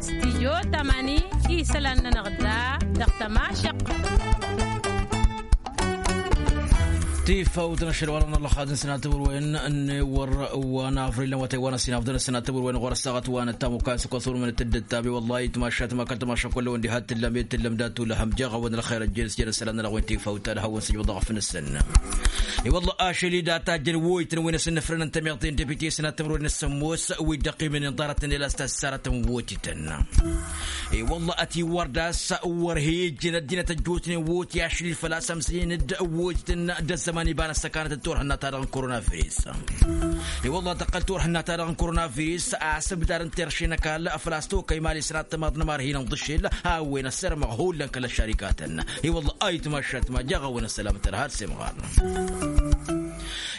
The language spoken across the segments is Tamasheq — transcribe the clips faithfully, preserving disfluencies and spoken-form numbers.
Stijyo tamani isălan-nănăɣ da dăɣ-tămašăq. Tifawt n-ašăl wa n-ăllăxad n-sănat timǝrwen n-ewăr wa n-avril n-awătay wa n-asinafḍăn sănat timǝrwen ɣur-ăssaɣăt wa n-ăttamukka s-kăsurmăn tǝddǝttabe wăllah itmašat ma kăl-tămašăk wălla wăn diha tǝllăm i-tǝllăm datu lăhăm jeɣ a-wen ălxer ăjjel s-jăr isălan n-ălɣwen tifawt ad-hawăn-sǝjbăḍ ɣăf-nǝsăn. I-wălla ašăl-i data jăn woytăn wen asǝnnăfrăn n-tamiḍt n-depite sănat timǝrwen n-sămmos wi dd-ăqqimăn inḍarătăn ila s-tassarătăn wotităn. I-wălla ătiwăr das wăr he-ijjăn ăddinăt ăjjootnen woti ašăl-i făl-a-s ămsăyăn-dd wotităn d-ăzzăman iba n-ăssăkanăt d-turhǝnna-ta-dăɣ n-koronavirus. I-wălla tăqqăl turhǝnna-ta-dăɣ n-koronavirus a-s ǝbdad n-terše n-ăkall făl-a-s tokăy mali sănat tămaḍ n-ămar hin-ănḍǝšel a-wen ăssărmăɣ hullan kăl-ăššarikatăn. I-wălla ayǝtmašat ma jeɣ a-wen ăssălamăt ărha d-semɣar.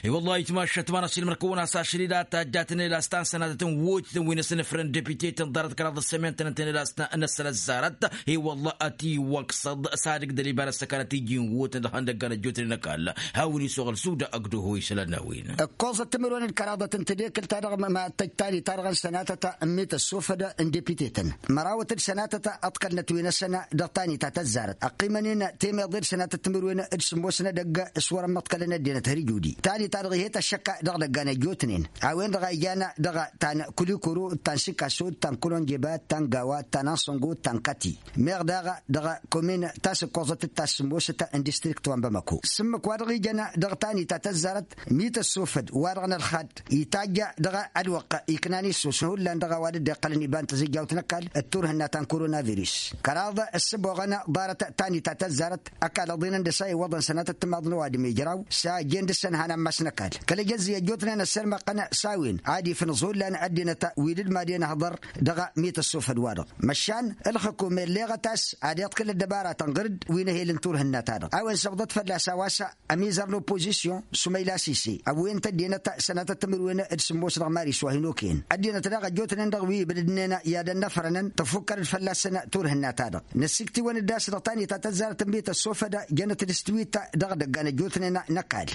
I-wălla ayǝtmašat ma n-ăsilmăr kăwăn-as ašăl-i da tajjatăn ila s-tansănatăt n-wotităn wi n-asǝnǝfrăn depite-tăn ḍarăt kăraḍ ăssămen-tăn ǝntăn ila s-năssăl ăzzarăt. I-wălla ătiwăksăḍ s-ad-ǝgdăl iba n-ăssăkanăt iji n-wotăn dăɣ-ihăndăggan ăjjootnen ăkall. Hawăn-iswăɣ ălsud agdăho isălan-n-a-wen. Ǝkkoẓăt timǝrwen d-kăraḍăt n-tedekǝlt-ta-dăɣ ma tăjj tanita-dăɣ n-sănatăt n-mităssofăd n-depite-tăn. Mărawăt d-sănatăt ăḍkălnăt wi n-ăsăn dăɣ-tanita tăzzarăt ăqqimăn-in temeḍe d-sănatăt timǝrwen d-sǝmmos n-edăgg s-wăr-ămmăḍkălăn ăddinăt har ijudi. Tanita-dăɣ ihet ăššăk dăɣ-idăggan ăjjootnen a-wen-dăɣ a ijan dăɣ-ta n-kulikuru d-ta n-sikaso d-ta n-kulonjeba d-ta n-gawa d-ta n-ansăngo d-ta n-kati. Meɣ daɣ dăɣ-komin ta s-ǝkkoẓăt d-ta s-sǝmmosăt n-distrikt wa n-bamako s-ǝmmǝk wa dăɣ-ijăn dăɣ-tanita tăzzarăt mităssofăd wa-dăɣ n-ălxad itajj dăɣ-ălwăqq iknan issus hullan dăɣ-a-wa dd-iqqălăn iba n-tăzijjawt n-ăkall d-turhǝnna ta n-koronavirus. Kăraḍ ǝssǝboɣăn ḍarăt tanita tăzzarăt ăkall ăḍinăn dăr-s a iwwăḍăn sănatăt timaḍ n-ăwadǝm ijraw s-a ăjjeen dăr-săn han ammas n-ăkall kăl-ejăzzǝy ăjjootnen ăssirmăqqăn s-a-wen ad-ifnǝẓ hullan ăddinăt wi dd-mad'-en ăhḍăr dăɣ-mităssofăd-wa-dăɣ. Măšan ǝlxǝkum elleɣăt a-s ad-iḍkǝl ăddăbaratăn ɣǝr-dd wi n-ehel n-turhǝnna-ta-dăɣ a-wen săbḍăt fălla-s a-wa s-ămizăr n-oppozisyon s-umăyla sise ăwwiyăn-t ăddinăt sănatăt timǝrwen d-sǝmmos dăɣ-maris wa hin-okăyăn ăddinăt daɣ ăjjootnen dăɣ-wi ibdădnen i-ad-ănnăfrănăn tăfukkăr-dd fălla-săn turhǝnna-ta-dăɣ. Năssiktǝwăn-dd a-s dăɣ-tanita tăzzarăt n-mităssofăd jănăt-dd s-tiwit dăɣ-idăggan ăjjootnen n-ăkall.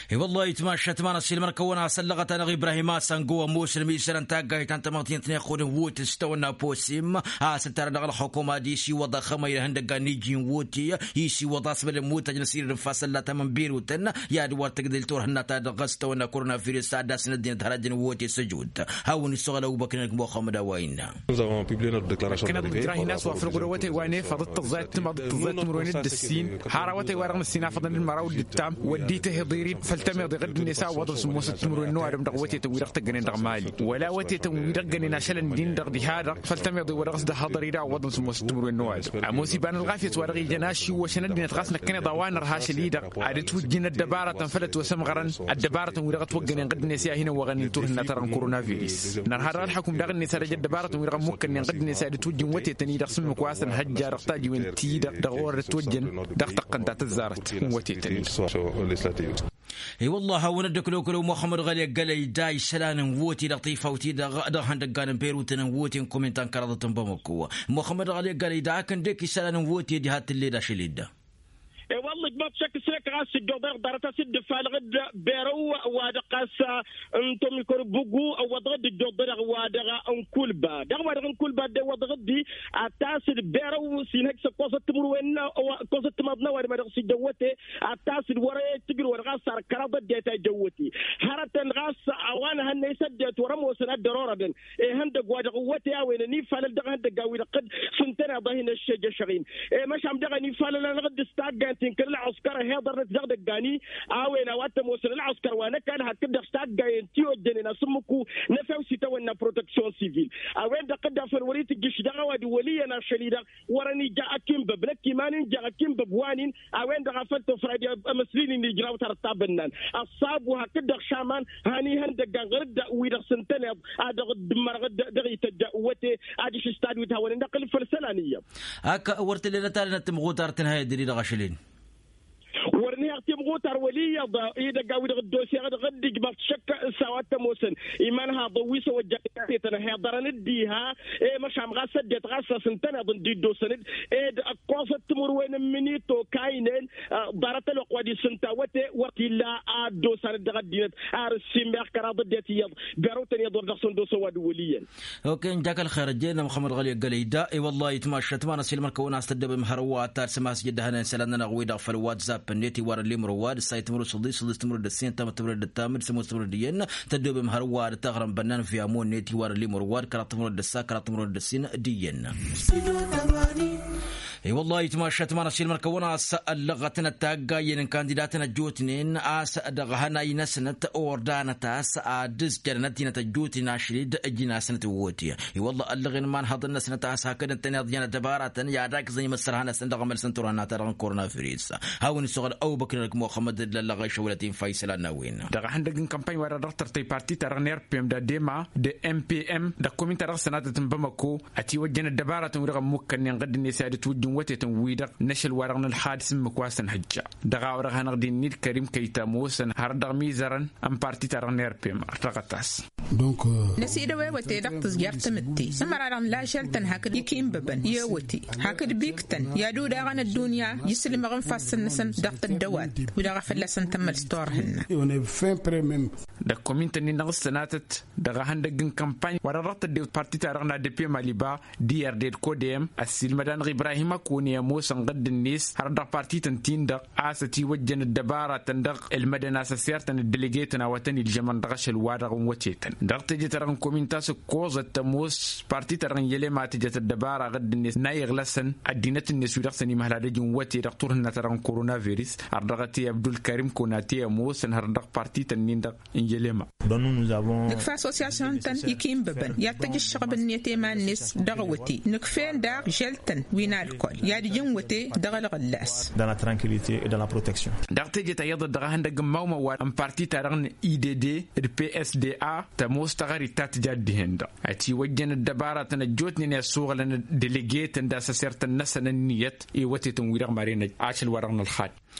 I-wăllah itmašat ma n-ăssiilmăr-kăwăn a-s ăllăɣăt-anăɣ ibrahim a-s ăngo ămoosăn mi isălan taggayt ta n-tamăḍt-i n-tinăxxodăn wotǝs tawănna posim a-s ǝnta-dăɣ dăɣ-ălxukuma d-isiwăḍ axămăy d-ihăndăggan n-iji n-woti isiwăḍ a-s bălem wotăj n-asirǝd n-ifassălla ta mănbirutăn i-ad-wăr tǝgdǝl turhǝnna-ta-dăɣ s-tawănna koronavirus a dd-asǝn ăddinăt hărajăn woti s-ăjut. Hawăn-issoɣăl ăbubăkr n-ăgg muxămmăd a-wa innă. Năkkăneḍ nǝjrah-in a-s wa făl ɣur-awătay wa n-efăḍ d-tăẓẓayăt timaḍ d-tăẓẓayăt timǝrwen d-ǝssin har awătay wa dăɣ-nǝssin afăḍăn d-măraw d-ǝttam wăddi tăhiḍ irid făl tămiḍe ɣǝdd-net a ǝwwăḍăn sǝmmosăt timǝrwen n-ăwadǝm dăɣ-awătetăn wi-dăɣ tăggănen dăɣ-mali wăla awătetăn wi-dăɣ gănen ašăl ǝndin-dăɣ diha-dăɣ făl tămiḍe wa dăɣ-s dd-ăhhăḍăr-i dăɣ-a ǝwwăḍăn sǝmmosăt timǝrwen n-ăwadǝm ămoos iba n-ălɣafyăt wa dăɣ-ijăn ašǝwwăšăn ăddinăt ɣas năkkăneḍ a-wa nărha ašăl-i-dăɣ ad-ǝtwǝjjǝn ăddăbarătăn făll-ătwăsămɣărăn ăddăbarătăn wi-dăɣ ătwăggănen ɣǝdd-net i-ad-hin-ăwwăɣăn i-turhǝnna-ta-dăɣ n-koronavirus. Nărha dăɣ-ălxăkum daɣ-net ad-ăj ăddăbarătăn wi-dăɣ ămmukkănnen ɣǝdd-net ad-ǝtwǝjjǝn wătetăn-i-dăɣ s-ǝmmǝk wa s-ănhăjja dăɣ-tajiwen-ti-dăɣ dăɣ-orăt ătwăjjăn dăɣ-tăqqăn ta tăzzarăt n-wătetăn-i. I-wăllah hawăn-ăddăkăl okăl muxămmăd ɣăli ăggălăy da isălan n-woti dăɣ-tifawt-i-dăɣ dăɣ-ihăndăggan n-berutăn n-woti n-kumin ta n-kăraḍăt n-bamăko. Muxămmăd ɣăli ăggălăy da akǝndek isălan n-woti ăddihad tǝlled ašăl-i-dăɣ. E-wălla ǝjmaḍ šăkk s-năkk ɣas ǝjjoḍ-anăɣ ḍarăt a-s dd-ǝfalăɣ-dd berăw wa dăɣ-ɣas n-tomikor bugu ǝwwăḍăɣ-dd ǝjjoḍ-anăɣ wa dăɣ-n kulba dăɣ-wa dăɣ-n kulba dd-ewwăḍăɣ-dd-i ad-t-asǝd berăw s-inhăj s-ǝkkoẓăt timǝrwen ǝkkoẓăt timaḍ n-ăwadǝm a dăɣ-s ija ăwwăte ad-t-asǝd wăr-e tǝjrǝwăn ɣas ar kăraḍ ăddinăt a ija ăwwăte. Hărătăn ɣas a-wa n-ehăn-net ăddinăt wăr-ămoosăn ad-dd-ărorădăn ihăndăgg wa dăɣ-ǝwwăte a-wen ănifalăl dăɣ-ihăndăggan-wi-dăɣ s-ǝntăneḍ a hin-ăššejăšăɣ-in. I-măšan dăɣ-ănifalăl-anăɣ dd-s taggant-in kăl-ălɣăskăr ăhiḍărnăt dăɣ-idăggan-i a-wen a-wa t-ămoosăn ălɣăskăr wa n-ăkall hakd-dăɣ s-taggayen ti ojjănen asǝmmǝku n-efew s-itawănna proteksyon sivil. A-wen-dăɣ dd-afăl wăr-itǝjjǝš dăɣ-ăwadǝm wăl' iyyăn ašăl-i-dăɣ wăr-ănija akǝnbăb năkk iman-in jaɣ akǝnbăb wa n-in. A-wen-dăɣ a făl tofradi amăsli-nin ijraw tarăt tabǝnnan ăṣṣabu hakd-dăɣ šaman han ihăndăggan ɣǝr-dd wi-dăɣ s-ǝntăneḍ a dăɣ-dd-mărăɣ-dd dăɣ-ităjja ăwwăte adiš s-tadwit hawăn-in-ăqqǝl făll-isălan iyyăḍ. Ak wăr tǝllenăt alănăt timɣutar tǝnhăyăt dăr-i dăɣ-ašăl-in. Wăr nǝhăɣ timɣutar wăl' iyyăḍ idăgg a-wi-dăɣ dd-oseɣ dăɣ-dd-ijmăɣ šăkk s-a-wa t-ămoosăn iman haḍăn wi s-ăwăjjăɣ tetăn ăhiḍărăn dd-iha. I-măšan ɣas ăddinăt ɣas a-s ǝntăneḍ ǝndi dd-osăn-dd ed ăkkoẓăt timǝrwen n-imǝnito kaynen. Ḍarăt ălwăqq wa d-isǝnta wăte wăr t-illa a dd-osan-dd dăɣ-ăddinăt ar ǝssinmeɣ kăraḍ ăddinăt iyyăḍ. Berăwtăn iyyăḍ wăr dăɣ-săn dd-osăn wa d-wăl' iyyăn. Okey n-jak ălxer ăjjeen ămxămăd ɣăli ăggălăy da. I-wăllahi tmašat ma n-ăsilmăr-kăwăn a-s tăddobem hărwa ad-tarsǝm a-s jăddăhăn ensălănnăn-aɣ wi-dăɣ făll-whatsapp-net iwarăn limrăwad ǝssay timǝrǝd săḍis săḍis timǝrǝd ăssin tamǝd timǝrǝd ăttamǝd sămoos timǝrǝd iyyăn. Tăddobem hărwa ad-taɣrămbănnan via mon-net iwarăn limrăwad kăraḍ timǝrǝd ăssa kăraḍ timǝrǝd ăssin d-iyyăn. I-wăllah itmašat ma n-asilmăr-kăwăn a-s ăllăɣătnăt taggayen n-kandidatăn ăjjootnen a-s dăɣ-hănay-năsnăt ordanăt a-s ad-ǝzjădăn ăddinăt ăjjootnen ašăl-dd ǝjǝn-asnăt iwwăte. I-wăllah ăllăɣen imanhăḍăn-năsnăt a-s hakd ǝntăneḍ i-ad-ăbăratăn i-ad-agzăn imăssărha-năsăn dăɣ-emălsăn turhăn n-ad-ta dăɣ-n korona virus. Hawăn-issoɣăl ăbubăkr-năk muxămmăd d-lăllăɣ išăwălăt infa isălan n-a-wen. Dăɣ-ehăndăgg n-kămpany wa-dăɣ dăɣ-tărtăy parti-ta-dăɣ n-r p m d-a d-e m a d-m p m dăɣ-sănatăt n-bamako. Ătiwăjjăn ăddăbaratăn-wi-dăɣ ămmukkănnen ɣǝdd-net i-ad-ǝtwǝjjǝn wătetăn-wi-dăɣ n-ašăl-wa-dăɣ n-ălxad s-ǝmmǝk wa s-ănhǝjja. Dăɣ-a-wa dăɣ-hanăɣ-dd-innid kărim kăyta ămoosăn hărăt dăɣ-mizărăn n-parti-ta-dăɣ n-r p m ărtăɣăt-as. Năsidăw ewăte dăɣ-tǝzjert tamǝtte ămăra-dăɣ n-lažel-tăn hakd ikinbăbăn i-ewăte hakd biktăn i-ad-udaɣăn ăddunya. Isǝlmăɣ infassăn-năsăn dăɣ-tăddăwat wi-dăɣ a fălla-săn tămăls turhǝnna. Dăɣ-komintăn-in-dăɣ s-sănatăt dăɣ-ehăndăgg n-kămpany wa-dăɣ dăɣ-tădde parti-ta-dăɣ n-a d p m aliba d-irded kodem ăssiilmăd-anăɣ ibrahim ăkone ămoosăn ɣǝdd-net hărăt dăɣ-parti-tăn-tin-dăɣ a-s ătiwăjjăn ăddăbaratăn dăɣ-ǝlmădăn a-s ăssirtăn ăddălăgetăn a-wa tăn-iljămăn dăɣ-ašăl-wa-dăɣ n-wătetăn. Dăɣ-teje-ta-dăɣ n-komint a-s ǝkkoẓăt tămoos parti-ta-dăɣ n-yelem a tǝjăt ăddăbara ɣǝdd-net n-a iɣlăsăn ăddinăt-net wi-dăɣ săn imhăl ad-ăj n-wăte dăɣ-turhǝnna-ta-dăɣ n-korona-virus har dăɣ-ăte abdulkarim konate ămoosăn har dăɣ-parti-tăn-in-dăɣ n-yelem a. Nǝkfa asosyasyun-tăn ikinbăbăn i-ad-tăj ǝššăɣb-net i-iman-net dăɣ-wăte nǝkf'-en daɣ žel-tăn wi n-alkol i-ad-ǝj n-wăte dăɣ-ălɣǝllas. Dăɣ-teje ta iyyăḍ dăɣ-ehăndăgg n-imawmăwal n-parti-ta-dăɣ n-idd d-psda tămoos taɣărit ta tǝja dd-hen-dăɣ ătiwăjjăn ăddăbaratăn ăjjootnen i-ăssuɣǝlăn delegetăn d-asăsertăn-năsăn ǝnniyăt i-wătetăn-wi-dăɣ maren ašăl-wa-dăɣ n-ălxad.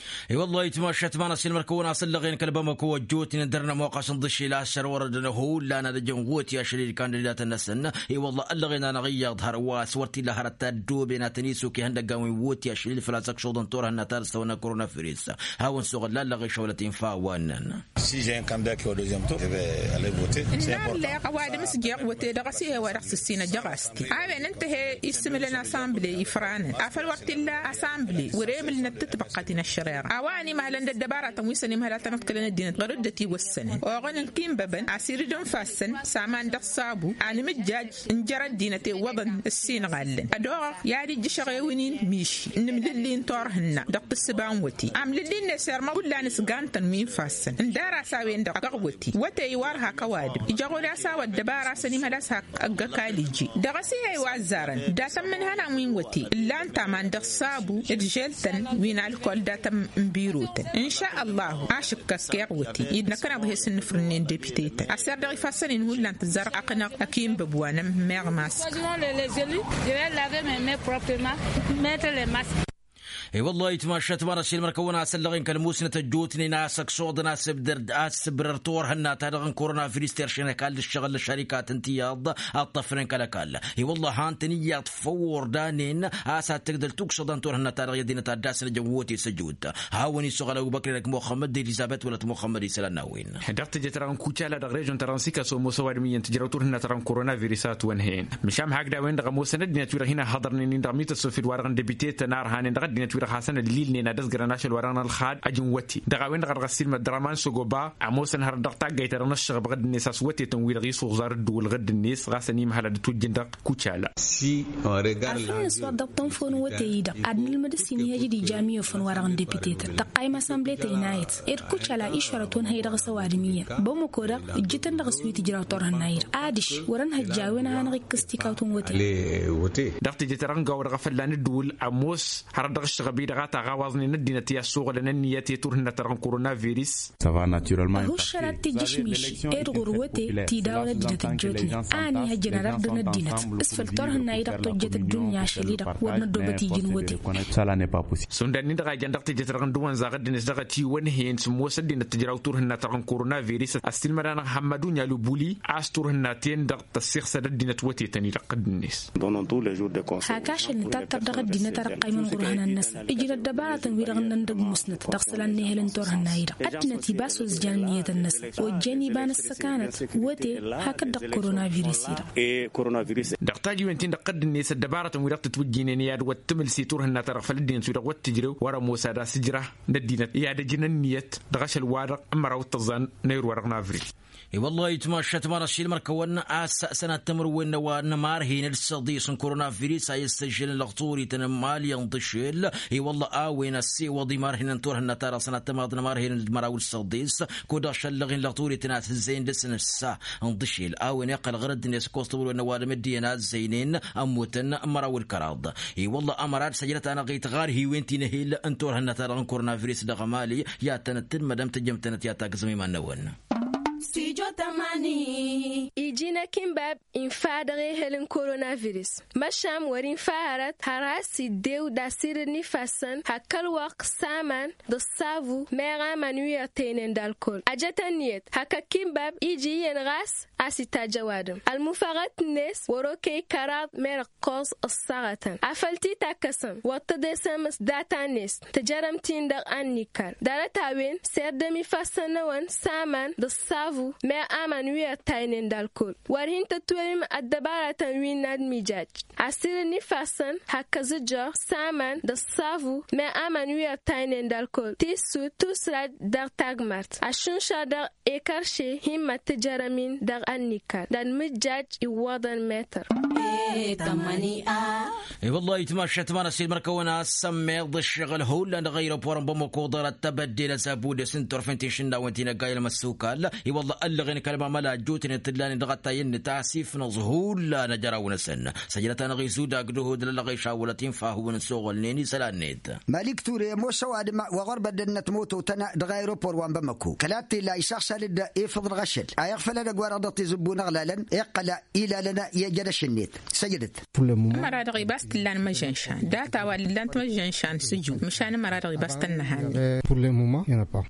I-wăllah itmašat ma n-asilmăr-kăwăn a-s ăllăɣen kăl-bamăko ăjjootnen dăr-nămoɣ a-s ǝnḍǝšel a-s săr wărădăn hullan ad-ăjăn ɣot i-ašăl-i d-kandidatăn-năsăn. I-wăllah ăllăɣen-anăɣ iyyăḍ hărwa s-wăr t-illa hărăt ta ăddooben ad-tăn-isuk ihăndăggan wi n-wot i-ašăl-i d-făl-a-s ăkšuḍăn turhǝnna ta dăɣ-s tăwănna korona-virus. Hawăn-suɣǝl lallăɣ išăwlăt infa a-wa ǝnnăn. Si jen kandaki odozem tur ebe alevoti. Ǝnna ălleɣ ăwadǝm s-jeɣ wăte dăɣ-s ihe wa dăɣ-s ǝssin ăjăɣ-as-t-i a-wen ǝnta he-i issǝmǝlăn asambli ifranăn afăl wăr t-illa asambli wăr-emǝlnăt tǝtbăqqăt n-ăššăreɣa a-wa ănimhălăn d-ăddăbaratăn wi s-ănimhăl ad-tăn-ăḍkălăn ăddinăt ɣur-dd ătiwăssănăn oɣăn n-kinbăbăn a-s irǝd ǝnfa-săn s-aman dăɣ-sabu. Anǝmǝjjaj n-jer-ăddinăt iwwăḍăn ǝssinɣallăn ad-oɣăɣ i-ad-ijjǝšăɣ ewǝnin miši n-imlǝlli n-turhǝnna dăɣ-tǝssǝba n-wăte amlǝlli-net irmăḍ hullan s-gantăn wi n-ifassăn ǝndar-as a-wen-dăɣ dăɣ-wăte. Wăte-i wăr hak ăwadǝm ijăɣ-od a-s a-wa ăddăbara a-s ănimhăl a-s hak ăgg-ăkall iji dăɣ-s i-he-i wa ăzzarăn. Dat-ămmǝnhănan wi n-wăte ǝllan-t aman dăɣ-sabu d-žel-tăn wi n-alkol dat-ămm n-birotăn. Inša ăllahu ašǝkkăs keɣ wăte-i d-năkkăneḍ he-s ǝnnǝfrǝnnen depitetăn ăsser dăɣ-ifassăn-in hullan tǝzzar ăqqănăɣ ăkinbăb wa n-ămmeɣ mask. E-wăllah itmašat ma n-asilmăr-kăwăn a-s ăllăɣen kăl-musnăt ăjjootnen a-s ăksuḍăn a-s ǝbdăr a-s ǝbrăr turhǝnna-ta-dăɣ n-korona-virus teršen ăkall d-ǝššăɣǝl n-ăššărikat ǝnta iyyăḍ. Ăṭṭăfnen kăl-ăkall i-wăllah han-tăn iyyăḍ făw ordanen a-s ad-tǝgdăl tuksăḍa n-turhǝnna-ta-dăɣ i-ăddinăt ad-dd-asnăjăn wot i-săjut. Hawăn-issoɣăl ăbubăkri dăɣ-muxămmăd d-elizabet wăla t-muxămmăd isălan n-a-wen. Dăɣ-teje-ta-dăɣ n-kucala dăɣ-režon-ta-dăɣ n-sikaso ămoos ăwadǝm iyyăn tǝjrăw turhǝnna-ta-dăɣ n-korona-virus a ătwănhăyăn. Măšan hakd a-wen-dăɣ ămoosăn ăddinăt-wi-dăɣ hin-ăhhăḍărnen-in dăɣ-mităsofil-wa-dăɣ n-debite tănarhanen dăɣ-ăddinăt-wi-dăɣ hasăn-ăllilnen ad-ăzgărăn ašăl-wa-dăɣ n-ălxad ăj n-wăte. Dăɣ-a-wen-dăɣ a dăɣ-ăssiilmăd dăɣ-aman s-ogoba ămoosăn hărăt dăɣ-taggayt-ta-dăɣ n-ăššăɣăbăɣ-dd-net a-s wătetăn-wi-dăɣ isǝwẓar dd-wălɣăd-net ɣas ănimhăl ad-ǝtwǝjjǝn dăɣ-kucala. Afăl n-ăswăḍ dăɣ-tănfon wăte-i-dăɣ ad-nǝlmăd ǝssin ihăj d-ija miyofăn wa-dăɣ n-depite-tăn tăqqayăm asănblet ăynayăt. Ed kucala išwărăt wăn hăy dăɣ-s ăwadǝm iyyăn bămăko-dăɣ ǝjjǝtăn dăɣ-s wi tǝjraw turhǝnna-i-dăɣ adiš wăr-ănhăjja a-wen ad-hanăɣ-ikkǝs tikawt n-wăte. Dăɣ-teje-ta-dăɣ n-gawa-dăɣ a fălla n-ǝddǝwǝl ămoos hărăt dăɣ-ǝššăɣ. Ăqqăb-i-dăɣ a taɣawaẓnen ăddinăt i-ad-suɣǝlăn ǝnniyăt i-turhǝnna-ta-dăɣ n-korona virus. Ăhuššăl ad-t-ijǝšmiš ed ɣur-wăte tidawăn ăddinăt ăjjootnen a ănihăjjăn ad-ărdǝn ăddinăt s-făl turhǝnna-i-dăɣ tojjăt ăddunya ašăl-i-dăɣ wăr năddoobăt iji n-wăte. Šund ănnin-dăɣ a ijăn dăɣ-teje-ta-dăɣ n-dăwănzaɣ ăddinăt dăɣ-ătiwănhăyăn s-ămoos ăddinăt tǝjraw turhǝnna-ta-dăɣ n-korona virus ăssiilmăd-anăɣ hammădunya lubuli a-s turhǝnna-ten-dăɣ tăssiɣsăd ăddinăt wătetăn-i-dăɣ ăddinăt. Hak ašăl nǝtattăr dăɣ-ăddinăt a dăɣ-qqăymăn ɣur-ihănan-năsăn ǝjrăt dăbaratăn-wi-dăɣ ǝnnăn dăgg-musnăt dăɣ-isălan n-ehăl n-turhǝnna-i-dăɣ ăddinăt ibas wăr s-jan ǝnniyătăn-năsăn ojjăn iba n-ăssăkanăt wăte hak dd-ăkk korona virus-i-dăɣ. Dăɣ-tajiwen-tin-dăɣ tădd-net ăddăbarătăn-wi-dăɣ tǝtwǝjjǝynen i-ad-wăt-tǝmǝlsi turhǝnna-ta-dăɣ făll-ăddinăt-wi-dăɣ wăt-tǝjrew wăr-ămoos ad-asǝjra n-ăddinăt i-ad-ăj n-ǝnniyăt dăɣ-ašăl-wa-dăɣ n-măraw d-tăẓẓa n-ayǝr-wa-dăɣ n-avril. I-wălla-hi tmašat ma n-ašilmăr-kăwăn a-s sănat timǝrwen n-a-wa n-imarhen d-săḍis n-korona virus a i-ăssăžžălăn lăɣturităn n-imali n-dăšel. I-wălla a-wen ăssewăḍ imarhen n-turhǝnna-ta-dăɣ sănat timaḍ n-imarhen d-măraw d-săḍis kud-dăɣ šăllăɣen lăɣturităn a t-hǝzzăyăn dăr-săn ǝssa n-dăšel a-wen iqqăl ɣur-ăddinăt s-ăkkoẓ timǝrwen n-a-wa d-amǝddiyăn a ǝzzăynen ămmutăn măraw d-kăraḍ. I-wălla ămăra d-săjdăt-anăɣ-it ɣar hiwen ti n-ehel n-turhǝnna-ta-dăɣ n-korona virus dăɣ-imali i-ad-tănăt-tǝlmădăm tǝjjăm-tănăt i-ad-tagzăm iman-năwăn. Iji n-akinbab infa dăɣ-ehel n-korona virus măšan wăr-infa hărăt har has-iddew d-asirǝd n-ifassăn hak kăl-wăqq s-aman d-ăṣṣabu meɣ aman wi ăṭṭăynen d-alkol ăjăt ănniyăt hak akinbab iji iyyăn ɣas a-s itajj ăwadǝm ălmufăɣăt-net wăr-okăy kăraḍ merăɣ ǝkkoẓ ǝṣṣaɣătăn afăl t-itakkăsăm wăr tăḍesăm s-data-net tǝjărăm-t-in dăɣ-annikkal ḍarăt-a-wen s-erdăm ifassăn-năwăn s-aman d-ăṣṣabu meɣ aman wi ăṭṭaynen d-alkol wăr hin-tǝtwălǝm ăddăbaratăn wi n-ad-mijaj asirǝd n-ifassăn hak kăzǝjjăɣ s-aman d-ăṣṣabu meɣ aman wi ăṭṭaynen d-alkol tissut tusrad dăɣ-tagmart ăššunša dăɣ-ekărše himmăt tǝjărăm-in dăɣ-annikkal d-ad-mǝjjaj iwwăḍăn metăr. I-wăllah itmašat ma n-asilmăr-kăwăn a-s sămmeḍ ǝššăɣǝl hullan dăɣ-ayropor n-bamăko ḍarăt tebădde n-azabudes n-turfen ti n-išǝnnawăn ti n-ăgga i-ălmăssukal. I-wăllah ăllăɣen kăl-mamăla ăjjootnen t-ǝllanen dăɣ-ăttayăn-net a-s ifnăẓ hullan ajăraw-năsăn săjdăt-anăɣ-i zudagd uhud lăllăɣ išawălăt infa hawăn-săɣălnen isălan-net. Malik ture ămoos ăwadǝm wa ɣur-băddăd n-ătmototăn dăɣ-ayropor wa n-bamăko kăla t-illa išaɣsal-dd efăḍ dăɣ-ašăl a iɣfăl edăgg-wa-dăɣ dăɣ-tizǝbbu n-aɣlalăn iqqăl ilalăn i-ăjjădăš-net. Săjdăt. Ămăra-dăɣ ibas t-ǝllan măžžănšan data wa ǝllan-t măžžănšan s-ǝjǝw măšan ămăra-dăɣ ibas tănnăhannen.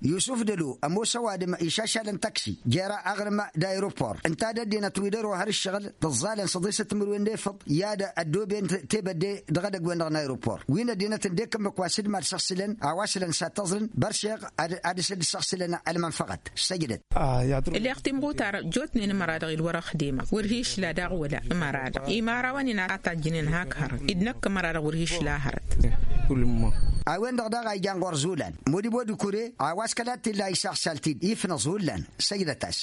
Yusuf dălo ămoos ăwadǝm išašalăn taksi jer-aɣrǝm d-ayropor ǝnta d-ăddinăt wi dăr-ohăr ǝššăɣǝl tǝẓẓalăn săḍisăt timǝrwen n-efăḍ i-ad-ăddooben tebădde dăɣ-edăgg-wen-dăɣ n-ayropor wi n-ăddinăt ǝndek ǝmmǝk wa s-dd-mad-săɣsǝlăn a-wa s-lăn s-ad-tăẓrǝn băršeɣ ad-dăɣ-sădd-săɣsǝlăn ălmănfăɣăt. Săjdăt. Ǝlleɣ timɣutar jotnen ămăra-dăɣ-dd wăr-ăxdemăɣ wăr hi-išla daɣ wăla ămăra-dăɣ imărawăn-in a tajjǝnen hak hărăt dd-năkk ămăra-dăɣ wăr hi-išla hărăt. A-wen-dăɣ daɣ a ijan ɣur-zulan modibo d-kure a-wa s-kăla t-illa isaɣsal-t-dd ifnăẓ hullan. Săjdăt-as.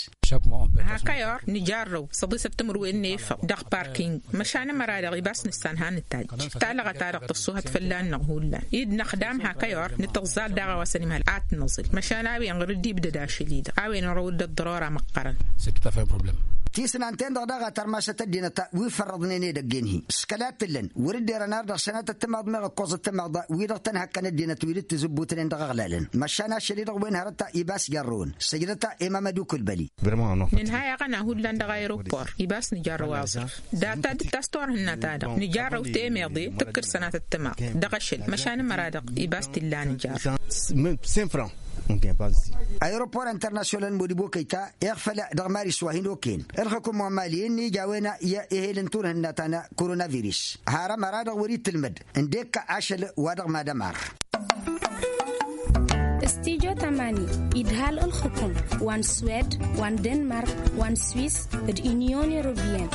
Hak ăyor nǝjarrăw săḍisăt timǝrwen n-efăḍ dăɣ-parking măšan ămăra-dăɣ ibas nǝssan ha nǝtajj talăɣa-ta-dăɣ tăṣṣuhăt fălla-năɣ hullan dd-năxdam hak ăyor nǝtǝẓẓal daɣ a-wa s-ănimhăl ad-t-năẓǝl măšan a-wen ɣur-dd-ibdăd ašăl-i-dăɣ a-wen ărăw-dd ăḍḍărora măqqărăn. Tisnan-ten-dăɣ daɣ a tărmasăt ăddinăt wi fărrăḍnen edăgg-en-hi s-kăla t-ǝllăn wăr-dd-erăn ar dăɣ-sănatăt timaḍ meɣ ǝkkoẓăt timaḍ wi-dăɣ tăn-hăkkăn ăddinăt wi dd-tǝzǝbbutnen dăɣ-aɣlalăn măšan ašăl-i-dăɣ wen hărăt ibas jarrăwăn. Săjdăt-a emamăd ukulbăli. Nǝnhay aɣăna hullan dăɣ-ayropor ibas nǝjarrăw aẓrǝf data dd-tas turhǝnna-ta-dăɣ nǝjarrăw temeḍe tǝkkǝd sănatăt timaḍ dăɣ-ašăl măšan ămăra-dăɣ ibas t-illa nǝjarrăw. Ayropor internasyonal n-modibo kăyta iɣfăl dăɣ-maris wa hin-okăyăn ǝlxǝkum wa n-mali ǝnni ija a-wen i-ehel n-turhǝnna ta n-koronavirus har ămăra-dăɣ wăr-itǝlmăd ǝndek ašăl wa dăɣ-mad-ămar. Studyo tamani idhal ǝlxǝkum wa n-swed wa n-denmark wa n-swis d-inyon europeyăn.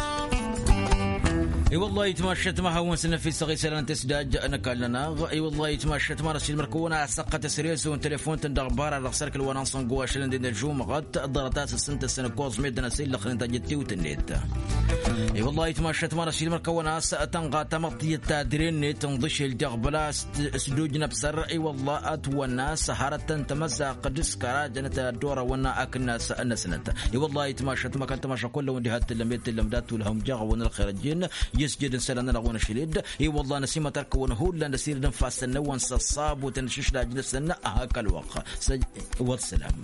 I-wăllah itmašat ma hawăn-săn ăfisăɣ isălan tăsdaj n-ăkall-nănăɣ. I-wăllah itmašat ma n-ăsilmăr-kăwăn a săqqăt s-rezo n-telefon-tăn dăɣ-bara dăɣ-sărkǝl wa n-ansăngo ašăl n-dănăžumăɣăt ḍarăt-as ǝssǝntăsăn ǝkkoẓ meddǝn ăsillăxnen tajǝttiwt-net. I-wăllah itmašat ma n-ăsilmăr-kăwăn a-s tănɣa tamăḍt i-ăttadre-net n-iḍǝšel dăɣ-băla s-duj n-ăbsăr i-wăllah ătwănna s-hărătăn tamăzaqt d-s kărajenăt ad-dd-orăwăn akǝnnas-năsnăt. I-wăllah itmašat ma kăl-tamaša kullăwăn diha t-tǝllăm i-tǝllăm dat-tulhăm jaɣ-wăn ălxer ăjjin. I-ăsjed n-isălan-nănăɣ wa n-ašăl-dd i-wălla năsimăt ărkăwăn hullan d-asirǝd n-ifassăn-năwăn s-ăṣṣabut n-ašǝšlaj-năsăn. Ahăkk ălwăqq. Wăr-sălam.